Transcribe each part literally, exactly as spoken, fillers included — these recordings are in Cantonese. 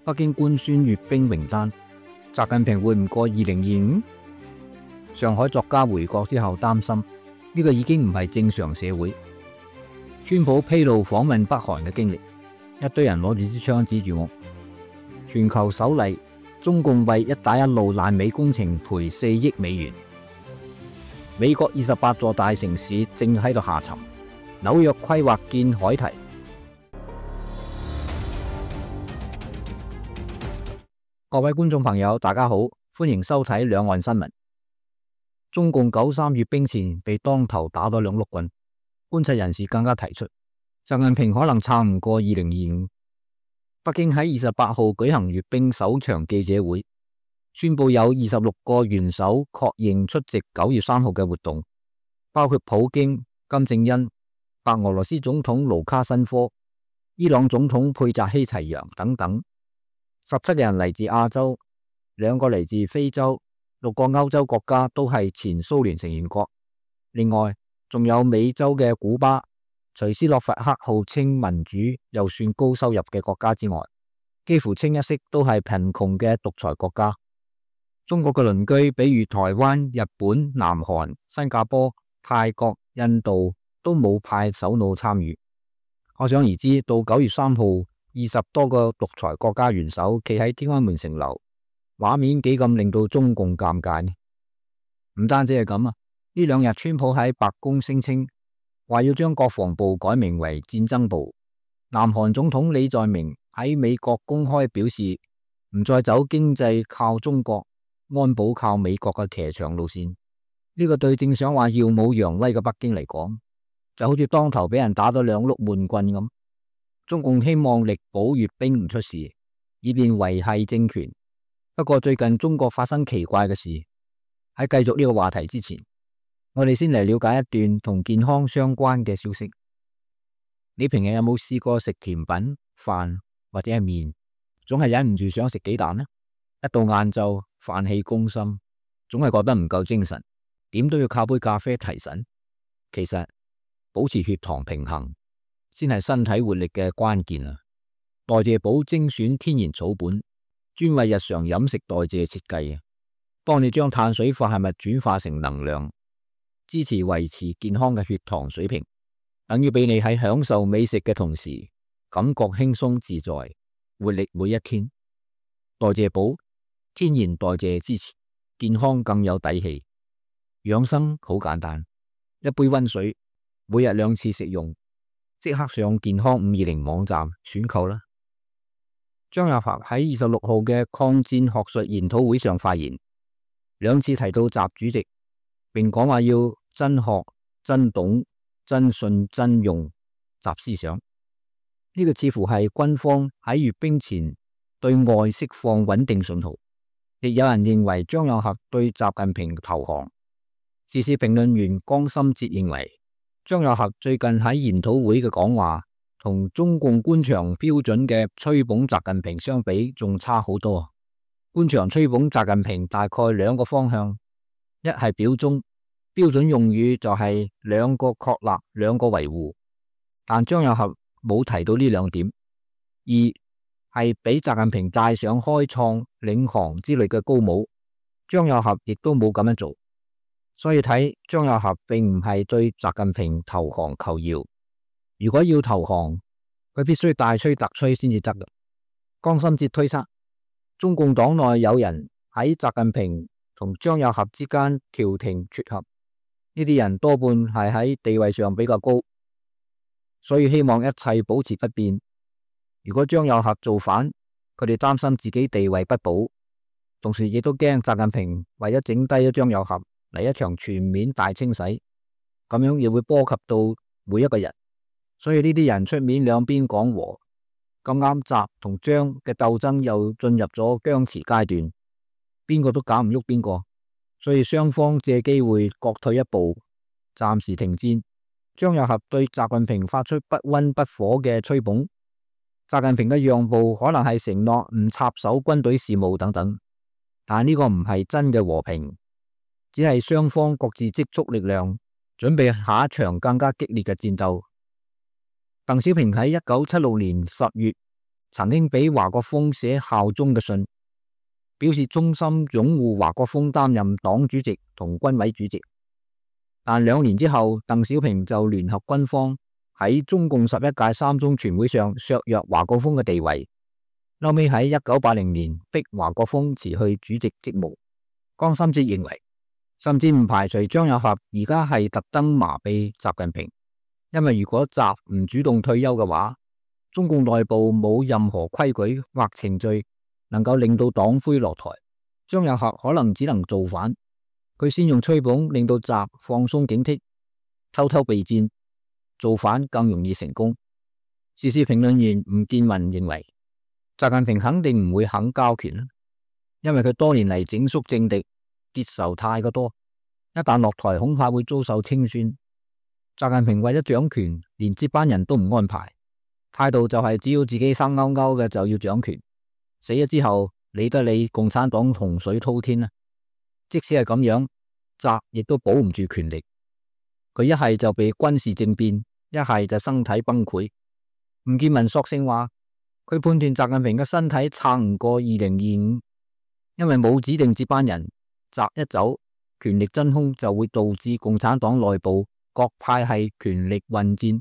北京官宣閱兵名單，習近平會唔過二零二五？上海作家回國之後擔心呢個已經唔係正常社會。川普披露訪問北韓嘅經歷，一堆人攞住支槍指住我。全球首例，中共為一帶一路爛尾工程賠四億美元。美國二十八座大城市正喺度下沉，紐約規劃建海堤。各位觀眾朋友，大家好，歡迎收睇兩岸新聞。中共九三閱兵前被當頭打咗兩碌棍，觀察人士更加提出，習近平可能撐唔過二零二五。北京喺二十八號舉行閱兵首場記者會，宣布有二十六個元首確認出席九月三號嘅活動，包括普京、金正恩、白俄羅斯總統盧卡申科、伊朗總統佩扎希齊揚等等。十七個人嚟自亞洲，兩個嚟自非洲，六個歐洲國家都係前蘇聯成員國。另外仲有美洲嘅古巴，除斯洛伐克號稱民主又算高收入嘅國家之外，幾乎清一色都係貧窮嘅獨裁國家。中國嘅鄰居比如台灣、日本、南韓、新加坡、泰國、印度都冇派首腦參與。可想而知，到九月三號，二十多個獨裁國家元首企喺天安門城樓，畫面幾咁令到中共尷尬呢？唔單止係咁啊，呢兩日川普喺白宮聲稱話要將國防部改名為戰爭部。南韓總統李在明喺美國公開表示唔再走經濟靠中國、安保靠美國嘅騎牆路線。呢個對正想話耀武揚威嘅北京嚟講，就好似當頭俾人打咗兩碌悶棍咁。中共希望力保閱兵唔出事，以便維繫政權。不過最近中國發生奇怪嘅事。喺繼續呢個話題之前，我哋先嚟了解一段同健康相關嘅消息。你平日有冇試過食甜品、飯或者係麵，總係忍唔住想食幾啖呢？一到晏晝，飯氣攻心，總係覺得唔夠精神，點都要靠杯咖啡提神。其實保持血糖平衡先係身體活力嘅關鍵啊！代謝寶精選天然草本，專為日常飲食代謝設計，幫你將碳水化合物轉化成能量，支持維持健康嘅血糖水平，等於俾你喺享受美食嘅同時，感覺輕鬆自在，活力每一天。代謝寶天然代謝支持，健康更有底氣。養生好簡單，一杯溫水，每日兩次食用。即刻上健康五二零網站選購啦！張又俠喺二十六號嘅抗戰學術研討會上發言，兩次提到習主席，並講話要真學、真懂、真信、真用習思想。呢、這個似乎係軍方喺閱兵前對外釋放穩定信號。亦有人認為張又俠對習近平投降。時事評論員江心哲認為，張又俠最近喺研討會嘅講話，同中共官場標準嘅吹捧習近平相比，仲差好多。官場吹捧習近平大概兩個方向：一係表忠，標準用語就係兩個確立，兩個維護。但張又俠冇提到呢兩點。二係俾習近平戴上開創、領航之類嘅高帽，張又俠亦都冇咁樣做。所以睇張又俠並唔係對習近平投降求饒，如果要投降，佢必須大吹特吹先至得嘅。江心哲推測，中共黨內有人喺習近平同張又俠之間調停撮合，呢啲人多半係喺地位上比較高，所以希望一切保持不變。如果張又俠造反，佢哋擔心自己地位不保，同時亦都驚習近平為咗整低咗張又俠嚟一場全面大清洗，咁樣亦會波及到每一個人，所以呢啲人出面兩邊講和，咁啱習同張嘅鬥爭又進入咗僵持階段，邊個都搞唔喐邊個，所以雙方借機會各退一步，暫時停戰。張又俠對習近平發出不溫不火嘅吹捧，習近平嘅讓步可能係承諾唔插手軍隊事務等等，但呢個唔係真嘅和平。只係雙方各自積蓄力量，準備下一場更加激烈嘅戰鬥。鄧小平喺一九七六年十月曾經俾華國鋒寫效忠嘅信，表示衷心擁護華國鋒擔任黨主席同軍委主席。但兩年之後，鄧小平就聯合軍方喺中共十一屆三中全會上削弱華國鋒嘅地位，後尾喺一九八零年逼華國鋒辭去主席職務。江心哲認為，甚至唔排除張又俠而家係特登麻痹習近平，因為如果習唔主動退休嘅話，中共內部冇任何規矩或程序能夠令到黨魁落台，張又俠可能只能造反。佢先用吹捧令到習放鬆警惕，偷偷備戰，造反更容易成功。時事評論員吳建民認為，習近平肯定唔會肯交權，因為佢多年嚟整肅政敵，結仇太過多，一旦落台恐怕會遭受清算。習近平為咗掌權，連接班人都唔安排，態度就係只要自己生勾勾嘅就要掌權，死咗之後理得你共產黨洪水滔天啊！即使係咁樣，習亦都保唔住權力，佢一係就被軍事政變，一係就身體崩潰。吳建民索性話，佢判斷習近平嘅身體撐唔過二零二五，因為冇指定接班人，習一走，權力真空就會導致共產黨內部各派系權力混戰，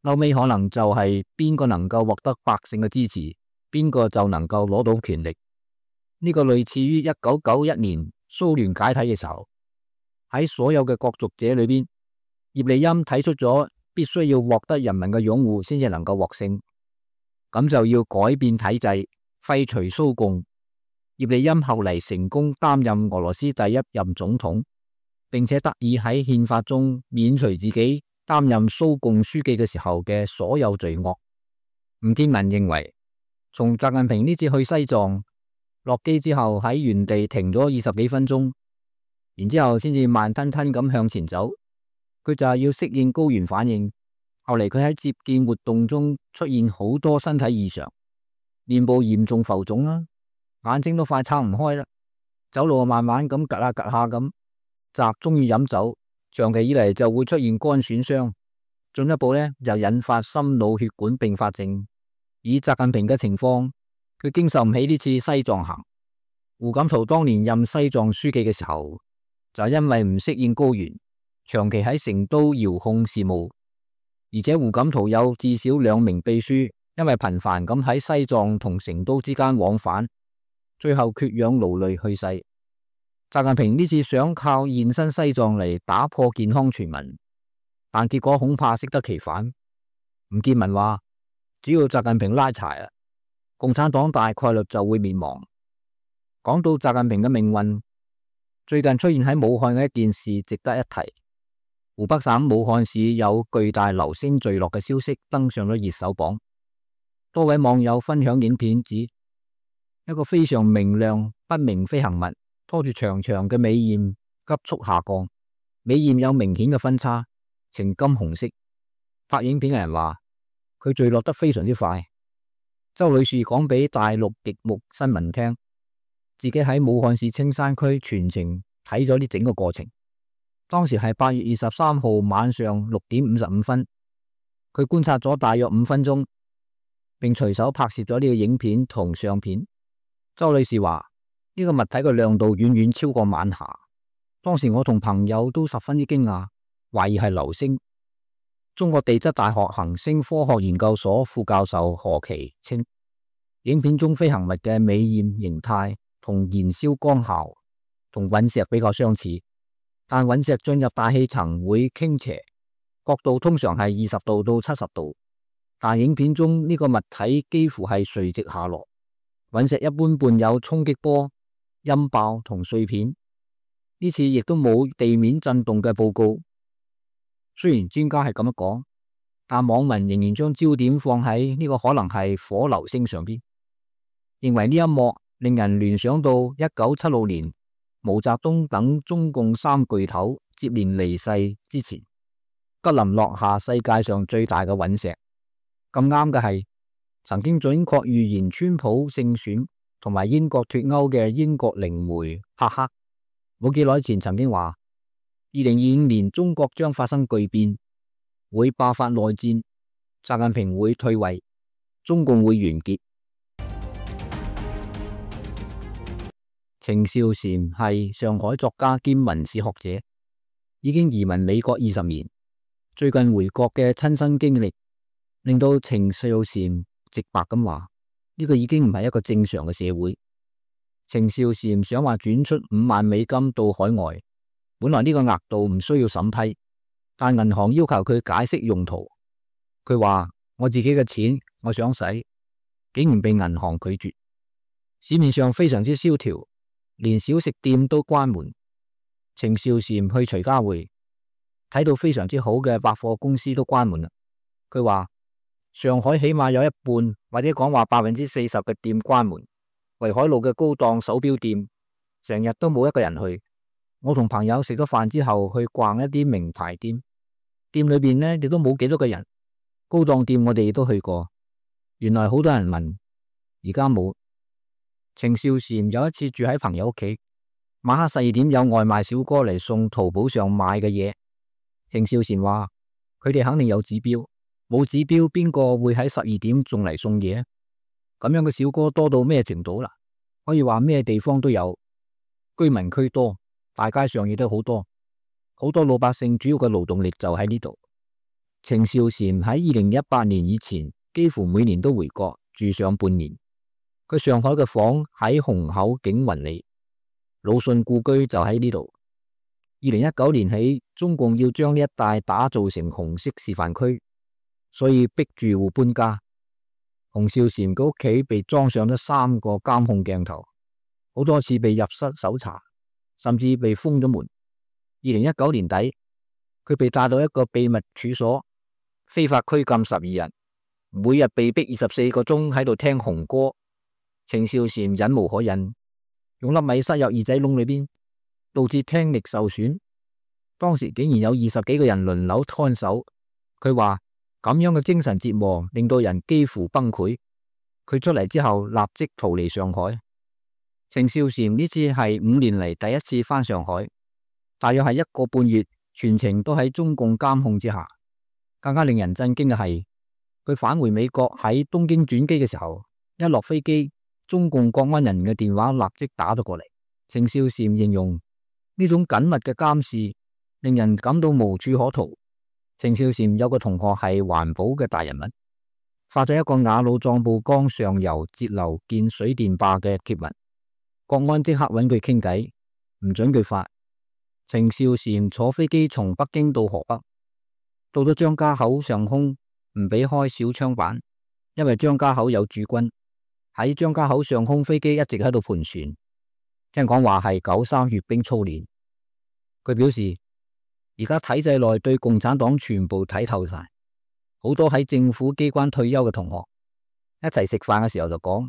後尾可能就係邊個能夠獲得百姓嘅支持，邊個就能夠攞到權力。呢、這個類似於一九九一年蘇聯解體嘅時候，喺所有嘅角逐者裏邊，葉利欽睇出咗必須要獲得人民嘅擁護先至能夠獲勝，咁就要改變體制，廢除蘇共。葉利欽後嚟成功擔任俄羅斯第一任總統，並且得以喺憲法中免除自己擔任蘇共書記嘅時候嘅所有罪惡。吳建民認為，從習近平呢次去西藏落機之後喺原地停咗二十幾分鐘，然之後先至慢吞吞咁向前走，佢就係要適應高原反應。後嚟佢喺接見活動中出現好多身體異常，面部嚴重浮腫啦，眼睛都快撐唔開啦，走路慢慢咁趷下趷下咁。習中意飲酒，長期以嚟就會出現肝損傷，進一步呢又引發心腦血管併發症。以習近平嘅情況，佢經受唔起呢次西藏行。胡錦濤當年任西藏書記嘅時候，就因為唔適應高原，長期喺成都遙控事務，而且胡錦濤有至少兩名秘書，因為頻繁咁喺西藏同成都之間往返，最後缺氧勞累去世。習近平呢次想靠現身西藏嚟打破健康傳聞，但結果恐怕適得其反。吳建民話，只要習近平拉柴啊，共產黨大概率就會滅亡。講到習近平嘅命運，最近出現喺武漢嘅一件事值得一提。湖北省武漢市有巨大流星墜落嘅消息登上咗熱搜榜，多位網友分享影片指，一個非常明亮不明飛行物拖住長長嘅尾焰急速下降，尾焰有明顯嘅分叉，呈金紅色。拍影片嘅人話，佢墜落得非常之快。周女士講俾大陸極目新聞聽，自己喺武漢市青山區全程睇咗呢整個過程。當時係八月二十三號晚上六點五十五分，佢觀察咗大約五分鐘，並隨手拍攝咗呢個影片同相片。周女士話，呢個物體嘅亮度遠遠超過晚霞，當時我同朋友都十分之驚訝，懷疑係流星。中國地質大學行星科學研究所副教授何其稱，影片中飛行物嘅尾焰形態同燃燒光效同隕石比較相似，但隕石進入大氣層會傾斜，角度通常係二十度到七十度，但影片中呢個物體幾乎係垂直下落。隕石一般伴有衝擊波、音爆同碎片，呢次亦都冇地面震動嘅報告。雖然專家係咁樣講，但網民仍然將焦點放喺呢個可能係火流星上邊，認為呢一幕令人聯想到一九七六年毛澤東等中共三巨頭接連離世之前，吉林落下世界上最大嘅隕石。咁啱嘅係，曾經準確預言川普勝選同埋英國脫歐嘅英國靈媒赫克，冇幾耐前曾經話，二零二五年中國將發生巨變，會爆發內戰，習近平會退位，中共會完結。程少禪係上海作家兼文史學者，已經移民美國二十年。最近回國嘅親身經歷，令到程少禪直白咁話：呢個已經唔係一個正常嘅社會。程少禪想話轉出五萬美金到海外，本來呢個額度唔需要審批，但銀行要求佢解釋用途。佢話：我自己嘅錢，我想使，竟然被銀行拒絕。市面上非常之蕭條，連小食店都關門。程少禪去徐家匯，睇到非常之好嘅百貨公司都關門啦。佢話：上海起碼有一半或者講話百分之四十嘅店關門。淮海路嘅高檔手錶店成日都冇一個人去。我同朋友食咗飯之後去逛一啲名牌店，店裏邊呢亦都冇幾多個人。高檔店我哋亦都去過，原來好多人問，而家冇。程少禪有一次住喺朋友屋企，晚黑十二點有外賣小哥嚟送淘寶上買嘅嘢。程少禪話：佢哋肯定有指標，冇指標邊個會喺十二點仲嚟送嘢？咁樣嘅小哥多到咩程度啦？可以話咩地方都有，居民區多，大街上亦都好多，好多老百姓主要嘅勞動力就喺呢度。程少禪喺二零一八年以前，幾乎每年都回國住上半年。佢上海嘅房喺虹口景雲里，魯迅故居就喺呢度。二零一九年起，中共要將呢一帶打造成紅色示範區，所以逼住戶搬家。洪少禪嘅屋企被裝上咗三個監控鏡頭，好多次被入室搜查，甚至被封咗門。二零一九年底，佢被帶到一個秘密處所，非法拘禁十二人，每日被逼二十四個鐘喺度聽紅歌。程少禪忍無可忍，用粒米塞入耳仔窿裏邊，導致聽力受損。當時竟然有二十幾個人輪流看守。佢話咁樣嘅精神折磨令到人幾乎崩潰。佢出嚟之後立即逃離上海。程少禪呢次係五年嚟第一次返上海，大約係一個半月，全程都喺中共監控之下。更加令人震驚嘅係，佢返回美國喺東京轉機嘅時候，一落飛機，中共國安人員嘅電話立即打咗過嚟。程少禪形容呢種緊密嘅監視令人感到無處可逃。程少禪有個同學係環保嘅大人物，發咗一個雅魯藏布江上游節流建水電壩嘅貼文，國安即刻揾佢傾偈，唔准佢發。程少禪坐飛機從北京到河北，到咗張家口上空唔俾開小窗板，因為張家口有駐軍。喺張家口上空飛機一直喺度盤旋，聽講話係九三閱兵操練。佢表示而家體制內對共產黨全部睇透晒，好多喺政府機關退休嘅同學一齊食飯嘅時候就講：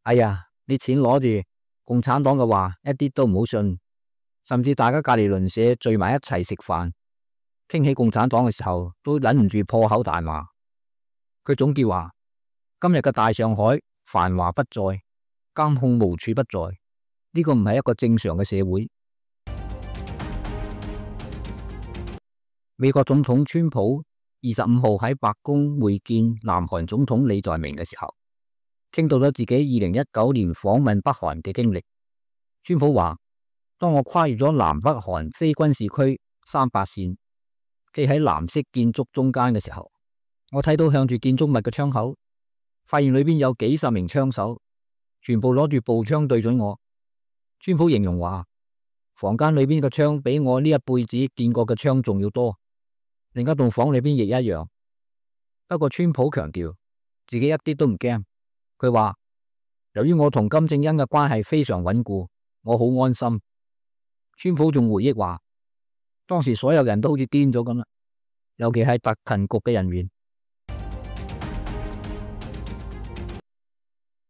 哎呀，你錢攞住，共產黨嘅話一啲都唔好信。甚至大家隔籬鄰舍聚埋一齊食飯，傾起共產黨嘅時候都忍唔住破口大罵。佢總結話：今日嘅大上海繁華不再，監控無處不在，呢個唔係一個正常嘅社會。美國總統川普二十五號喺白宮會見南韓總統李在明嘅時候，傾到咗自己二零一九年訪問北韓嘅經歷。川普話：當我跨越咗南北韓非軍事區三八線，企喺藍色建築中間嘅時候，我睇到向住建築物嘅窗口，發現裏邊有幾十名槍手，全部攞住步槍對準我。川普形容話：房間裏邊嘅槍比我呢一輩子見過嘅槍仲要多。另一棟房裏邊亦一樣。不過川普強調自己一啲都唔驚。佢話：由於我同金正恩嘅關係非常穩固，我好安心。川普仲回憶話：當時所有人都好似癲咗咁啦，尤其係特勤局嘅人員。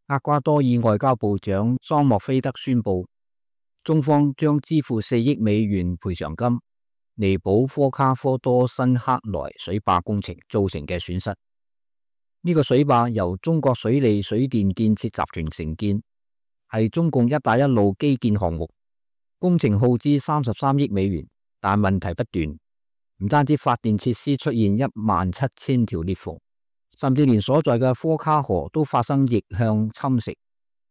厄瓜多爾外交部長桑莫菲德宣布，中方將支付四億美元賠償金，彌補科卡科多新克萊水壩工程造成嘅損失。呢、這個水壩由中國水利水電建設集團承建，係中共一帶一路基建項目，工程耗資三十三億美元，但問題不斷，唔單止發電設施出現一萬七千條裂縫，甚至連所在嘅科卡河都發生逆向侵蝕，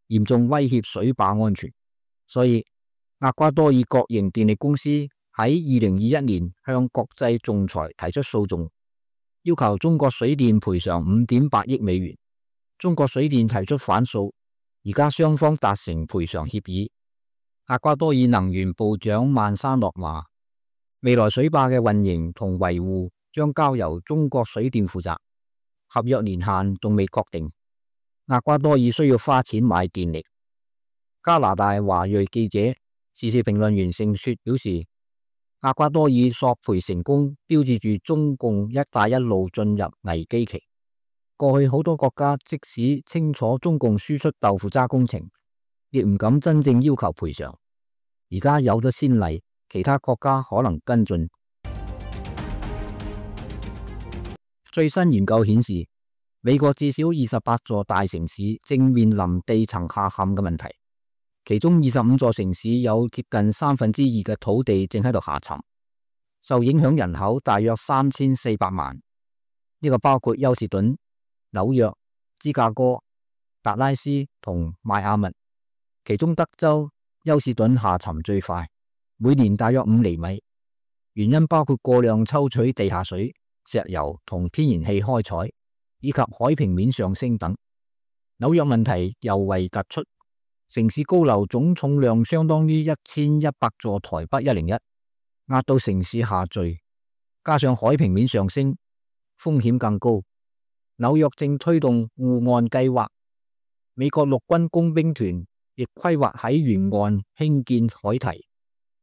嚴重威脅水壩安全。所以厄瓜多爾國營電力公司喺二零二一年向國際仲裁提出訴訟，要求中國水電賠償五點八億美元。中國水電提出反訴，而家雙方達成賠償協議。厄瓜多爾能源部長曼沙諾話，未來水壩嘅運營同維護將交由中國水電負責，合約年限仲未確定。厄瓜多爾需要花錢買電力。加拿大華裔記者、時事評論員盛雪表示，厄瓜多爾索賠成功，標誌住中共一帶一路進入危機期。過去好多國家即使清楚中共輸出豆腐渣工程，亦唔敢真正要求賠償。而家有咗先例，其他國家可能跟進。最新研究顯示，美國至少二十八座大城市正面臨地層下陷嘅問題，其中二十五座城市有接近三分之二嘅土地正喺度下沉，受影響人口大約三千四百萬。呢個包括休士頓、紐約、芝加哥、達拉斯同邁阿密，其中德州休士頓下沉最快，每年大約五厘米。原因包括過量抽取地下水、石油同天然氣開採，以及海平面上升等。紐約問題尤為突出，城市高樓總重量相當於一千一百座台北一零一，壓到城市下墜，加上海平面上升，風險更高。紐約正推動護岸計劃，美國陸軍工兵團亦規劃喺沿岸興建海堤。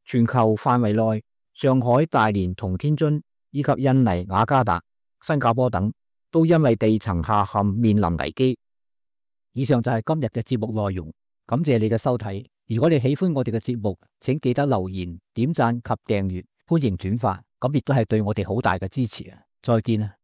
全球範圍內，上海、大連同天津以及印尼雅加達、新加坡等都因為地層下陷面臨危機。以上就係今日嘅節目內容，感謝你嘅收睇。如果你喜歡我哋嘅節目，請記得留言、點讚及訂閱，歡迎轉發，咁亦都係對我哋好大嘅支持啊！再見啊！